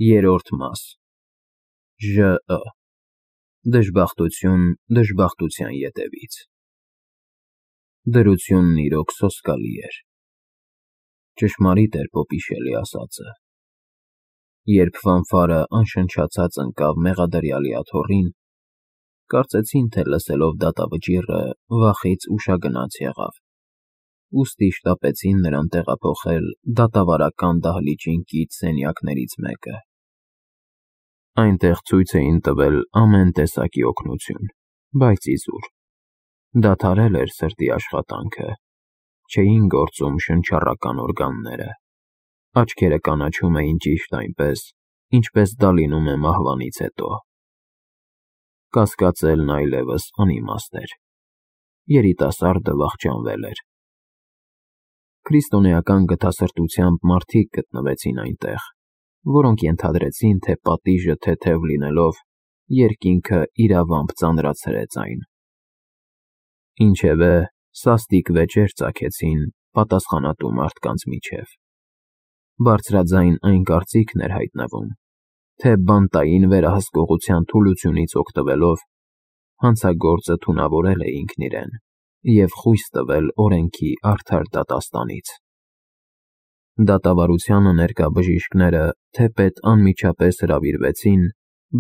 Երրորդ մաս ԺԸ Դժբախտություն դժբախտության ետևից Դրությունն իրոք սոսկալի էր։ Ճշմարիտ էր Պոպիշելի ասածը։ Երբ Ֆանֆարը անշնչացած ընկավ մեղադրյալի աթոռին, կարծեցին, թե լսելով դատավճիռը վախից ուշագնաց եղավ, ուստի շտապեցին նրան տեղափոխել դատավարական դահլիճին կից սենյակներից մեկը։ Այնտեղ ցույց էին տվել ամեն տեսակի օգնություն, բայց իզուր։ Դադարել էր սրտի աշխատանքը, չէին գործում շնչառական օրգանները, աչքերը կանաչում էին ճիշտ այնպես, ինչպես դա լինում է մահվանից հետո։ Կասկածելն այլևս անիմաստ էր։ Երիտասարդը վախճանվել էր։ Քրիստոնեական գթասրտությամբ մարդիկ գտնվեցին այնտեղ, որոնք ենթադրեցին, թե պատիժը թեթև լինելով, երկինքը իրավամբ ծանրացրեց այն։ Ինչևէ, սաստիկ վեճեր ծագեցին պատասխանատու մարդկանց միջև։ Բարձրաձայն այն կարծիքն էր հայտնվում, թե բանտային վերահսկողության թուլությունից օգտվելով, հանցագործը թունավորել է ինքն իրեն և խույս տվել օրենքի արդար դատաստանից։ Դատավարությանը ներկա բժիշկները թեպետ անմիջապես հրավիրվեցին,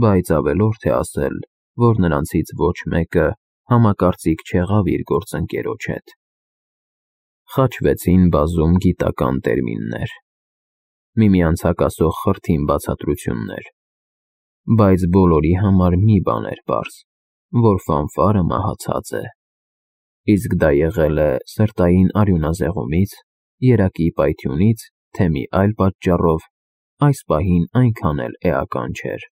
բայց ավելորդ է ասել, որ նրանցից ոչ մեկը համակարծիք չեղավ իր գործընկերոջ հետ։ Խաչվեցին բազում գիտական տերմիններ, միմյանց հակասող խրթին բացատրություններ, բայց բոլորի համար մի բան էր պարզ, որ Ֆանֆարը մահացած է, իսկ դա եղել է սրտային արյունազեղումից, երակի պայթյունից, թե մի այլ պատճառով, այս պահին այնքան էլ էական չէր։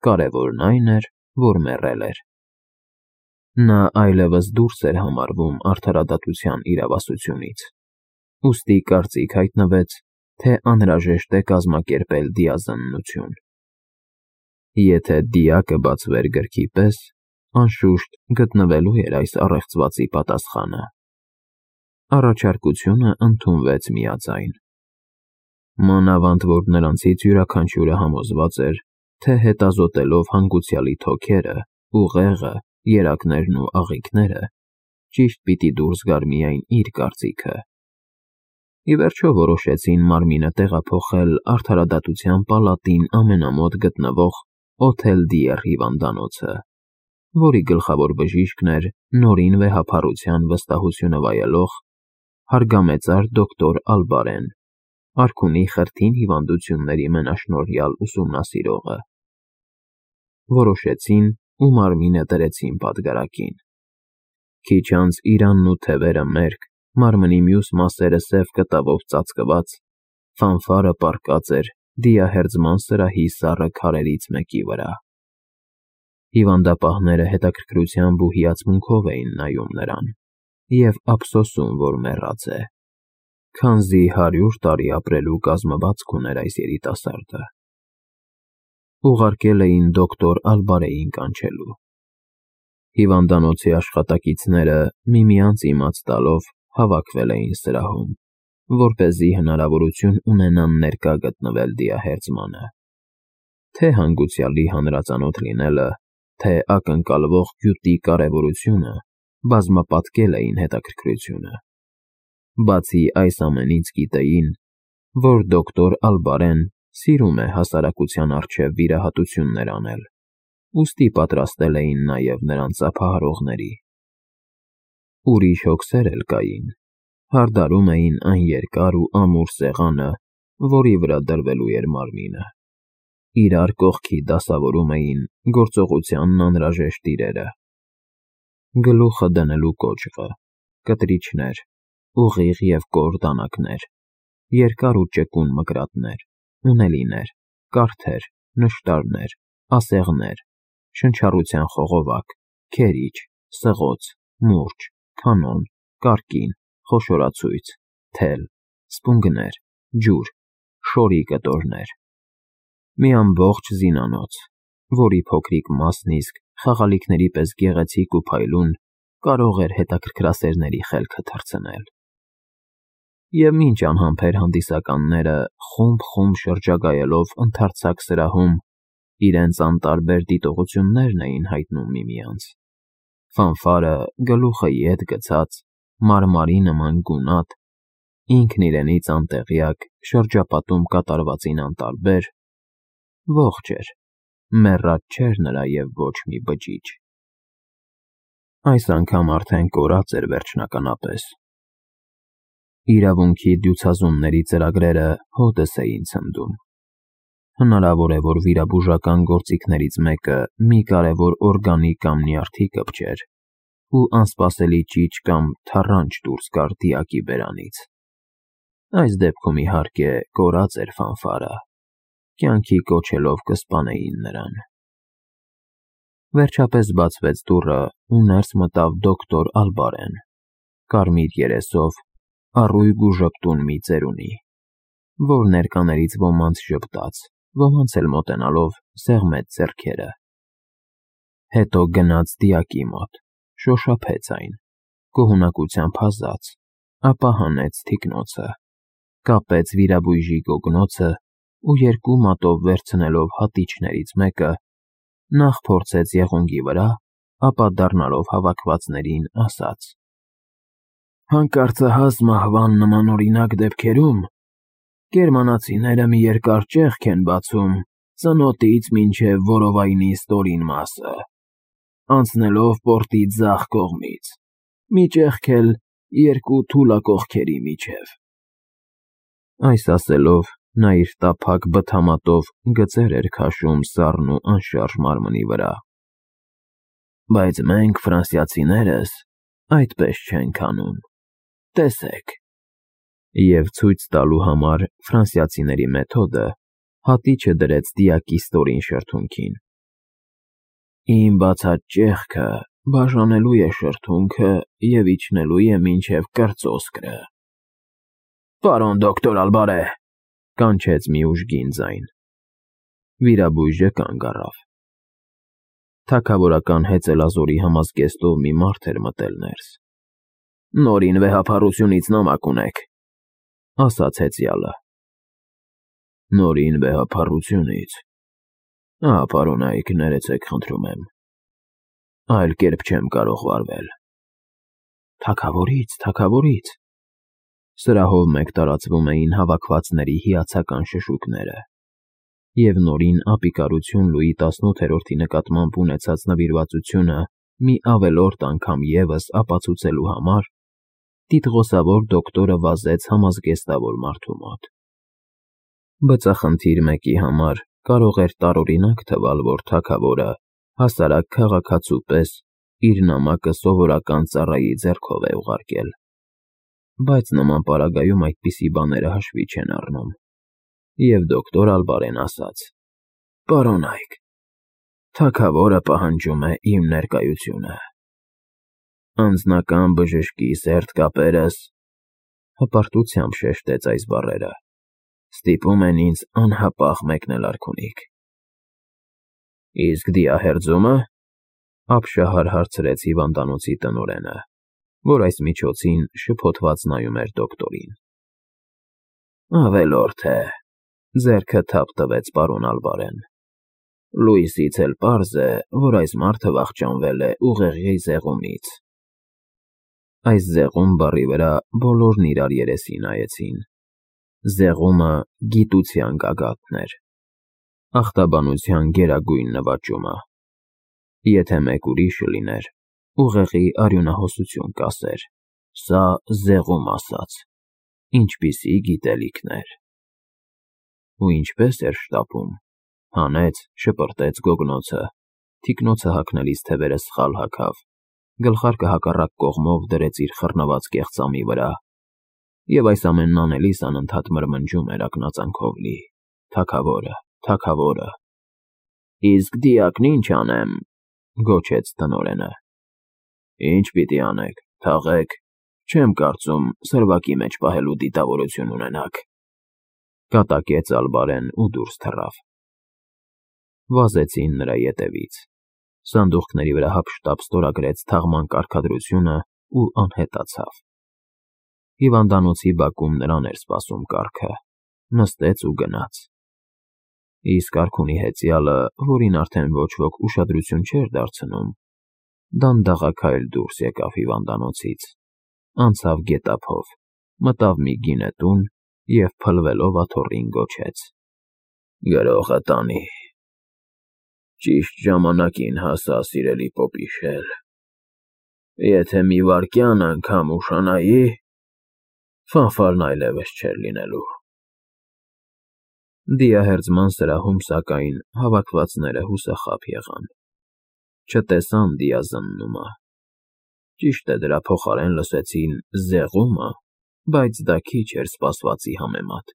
Կարևորն այն էր, որ մեռել էր։ Նա այլևս դուրս էր համարվում արդարադատության իրավասությունից, ուստի կարծիք հայտնվեց, թե անհրաժեշտ է կազմակերպել դիազննություն։ Եթե դիակը բացվեր գրքի պես, անշուշտ գտնվելու էր այս առեղծվածի պատասխանը։ Առաջարկությունը ընդունվեց միաձայն։ Մանավանդ որ նրանցից յուրաքանչյուրը համոզված էր, թե հետազոտելով հանգուցյալի թոքերը, ուղեղը, երակներն ու աղիքները, ճիշտ պիտի դուրս գար միայն իր կարծիքը։ Ի վերջո որոշեցին մարմինը տեղափոխել արդարադատության պալատին ամենամոտ գտնվող Օթել-Դիեր հիվանդանոցը, որի գլխավոր բժիշկն էր նորին վեհափառության վստահությունը վայելող հարգամեծար դոկտոր Ալբարեն, արքունի խրթին հիվանդությունների մենաշնորհյալ ուսումնասիրողը։ Որոշեցին ու մարմինը դրեցին պատգարակին։ Քիչ անց իրանն ու թևերը մերկ, մարմնի մյուս մասերը սև կտավով ծածկված, Ֆանֆարը պառկած էր դիահերձման սրահի սառը քարերից մեկի վրա։ Հիվանդապահները հետաքրքրությամբ ու հիացմունքով էին նայում նրան և ափսոսում, որ մեռած է, քանզի 100 տարի ապրելու կազմվածք ուներ այս երիտասարդը։ Ուղարկել էին դոկտոր Ալբարեին կանչելու։ Հիվանդանոցի աշխատակիցները միմյանց իմաց տալով հավաքվել էին սրահում, որպեսզի հնարավորություն ունենան ներկա գտնվել դիահերձմանը։ Թե հանգուցյալի հանրածանոթ լինելը, թե ակնկալվող գյուտի կարևորությունը բազմապատկել էին հետաքրքրությունը։ Բացի այս ամենից գիտեին, որ դոկտոր Ալբարեն սիրում է հասարակության առջև վիրահատություններ անել, ուստի պատրաստել էին նաև նրան ծափահարողների։ Ուրիշ հոգսեր էլ կային, հարդարում էին այն երկար ու ամուր սեղանը, որի վրա դրվելու էր մարմինը։ Իրար կողքի դասավորում էին գործողությանն անհրաժեշտ իրերը. գլուխը դնելու կոճղը, կտրիչներ, ուղիղ և կոր դանակներ, երկար ու ճկուն մկրատներ, ունելիներ, կարթեր, նշտարներ, ասեղներ, շնչառության խողովակ, քերիչ, սղոց, մուրճ, կանոն, կարկին, խոշորացույց, թել, սպունգներ, ջուր, շորի կտորներ։ Մի ամբողջ զինանոց, որի փոքրիկ մասն իսկ խաղալիքների պես գեղեցիկ ու փայլուն կարող էր հետաքրքրասերների խելքը թռցնել։ Եվ մինչ անհամբեր հանդիսականները խումբ շրջագայելով ընդարձակ սրահում իրենց անտարբեր դիտողություններն էին հայտնում միմյանց, Ֆանֆարը գլուխը ետ գցած, մարմարի նման գունատ, ինքն իրենից անտեղյակ շրջապատում կատարվածին անտարբեր, ողջ էր, մեռած չէր նրա և ոչ մի բջիջ։ Այս անգամ արդեն կորած էր վերջնականապես։ Իրավունքի դյուցազունների ծրագրերը հօդս էին ցնդում։ Հնարավոր է, որ վիրաբուժական գործիքներից մեկը մի կարևոր օրգանի կամ նյարդի կպչեր ու անսպասելի ճիչ կամ թառանչ դուրս գար դիակի բերանից։ Այս դեպքում, իհարկե, կորած էր Ֆանֆարը, կյանքի կոչելով կսպանեին նրան։ Վերջապես բացվեց դուռը ու ներս մտավ դոկտոր Ալբարեն, կարմիր երեսով, առույգ ու ժպտուն մի ծերունի, որ ներկաներից ոմանց ժպտաց, ոմանց էլ մոտենալով սեղմեց ձեռքերը։ Հետո գնաց դիակի մոտ, շոշափեց այն, գոհունակությամբ հազաց, ապա հանեց թիկնոցը, կապեց վիրաբույժի գոգնոցը ու երկու մատով վերցնելով հատիչներից մեկը, նախ փորձեց եղունգի վրա, ապա դառնալով հավաքվածներին ասաց. «Հանկարծահաս մահվան նմանօրինակ դեպքերում գերմանացիները մի երկար ճեղք են բացում ծնոտից մինչև որովայնի ստորին մասը, անցնելով պորտի ձախ կողմից, մի ճեղք էլ երկու թուլակողքերի միջև»։ Այս ասելով, նա իր տափակ բթամատով գծեր էր քաշում սառն ու անշարժ մարմնի վրա։ «Բայց մենք, ֆրանսիացիներս, այդպես չենք անում, տեսեք»։ Եվ ցույց տալու համար ֆրանսիացիների մեթոդը, հատիչը դրեց դիակի ստորին շրթունքին։ «Իմ բացած ճեղքը բաժանելու է շրթունքը և իջնելու է մինչև կրծոսկրը»։ «Պարոն դոկտոր Ալբարե», կանչեց մի ուժգին ձայն։ Վիրաբույժը կանգ առավ։ Թագավորական հեծելազորի համազգեստով մի մարդ էր մտել ներս։ «Նորին վեհափառությունից նամակ ունեք», ասաց հեծյալը։ «Նորին վեհափառությունից։ Պարոնայք, ներեցեք խնդրում եմ, այլ կերպ չեմ կարող վարվել»։ Թագավորից։ Սրահով մեկ տարածվում էին հավաքվածների հիացական շշուկները, և նորին ապիկարություն Լուի 18-րդի նկատմամբ ունեցած նվիրվածությունը մի ավելորդ անգամ ևս ապացուցելու համար տիտղոսավոր դոկտորը վազեց համազգեստավոր մարդու մոտ։ Բծախնդիր մեկի համար կարող էր տարօրինակ թվալ, որ թագավորը հասարակ քաղաքացու պես իր նամակը սովորական ծառայի ձեռքով է ուղարկել, բայց նման պարագայում այդպիսի բաները հաշվի չեն առնում, և դոկտոր Ալբարեն ասաց. «Պարոնայք, թագավորը պահանջում է իմ ներկայությունը»։ «Անձնական բժշկի սերտ կապերս», հպարտությամբ շեշտեց այս բառերը, «ստիպում են ինձ անհապաղ մեկնել արքունիք»։ «Իսկ դիահերձումը», ապշահար հարցրեց հիվանդանոցի տնօրենը, որ այս միջոցին շփոթված նայում էր դոկտորին։ «Ավելորդ է», ձեռքը թափ տվեց պարոն Ալբարեն։ «Լույսից էլ պարզ է, որ այս մարդը վախճանվել է ուղեղի զեղումից»։ Այս զեղում բառի վրա բոլորն իրար երեսի նայեցին։ Զեղումը գիտության գագաթն էր, ախտաբանության գերագույն նվաճումը։ Եթե մեկ ուրիշը լիներ, ուղեղի արյունահոսություն կասեր. «Սա զեղում ասաց», ինչպիսի գիտելիքներ։ Ու ինչպես էր շտապում, հանեց, շպրտեց գոգնոցը, թիկնոցը հագնելիս թևերը սխալ հագավ, գլխարկը հակառակ կողմով դրեց իր խռնված կեղծամի վրա, և այս ամենն անելիս անընդհատ մրմնջում էր ակնածանքով լի. «Թագավորը»։ «Իսկ դիակն ինչ անեմ», գոչեց տնօրենը։ «Ինչ պիտի անեք, թաղեք, չեմ կարծում սրվակի մեջ պահելու դիտավորություն ունենաք», կատակեց Ալբարեն ու դուրս թռավ։ Վազեցին նրա ետևից։ Սանդուղքների վրա հափշտապ ստորագրեց թաղման կարգադրությունն ու անհետացավ։ Հիվանդանոցի բակում նրան էր սպասում կառքը, նստեց ու գնաց։ Իսկ արքունի հեծյալը, որին արդեն ոչ ոք ուշադրություն չէր դարձնում, դանդաղաքայլ դուրս եկավ հիվանդանոցից, անցավ գետափով, մտավ մի գինետուն և փլվելով աթոռին գոչեց. «Գրողը տանի»։ Ճիշտ ժամանակին հասա, սիրելի Պոպիշել, եթե մի վայրկյան անգամ ուշանայի, ֆանֆարն այլևս չէր լինելու։ Դիահերձման սրահում, սակայն, հավաքվածները հուսախաբ եղան, չտեսան դիազննումը, ճիշտ է, դրա փոխարեն լսեցին զեղումը, բայց դա քիչ էր սպասվածի համեմատ։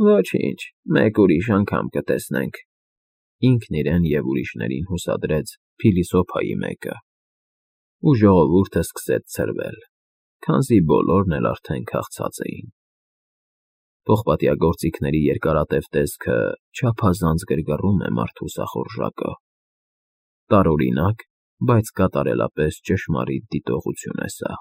Ոչինչ, մեկ ուրիշ անգամ կտեսնենք, ինքն իրեն և ուրիշներին հուսադրեց փիլիսոփայի մեկը, ու ժողովուրդը սկսեց ցրվել, քանզի բոլորն էլ արդեն քաղցած էին։ Պողպատյա գործիքների երկարատև տեսքը չափազանց գրգռում է մարդու սախորժակը։ Տարօրինակ, բայց կատարելապես ճշմարիտ դիտողություն է սա։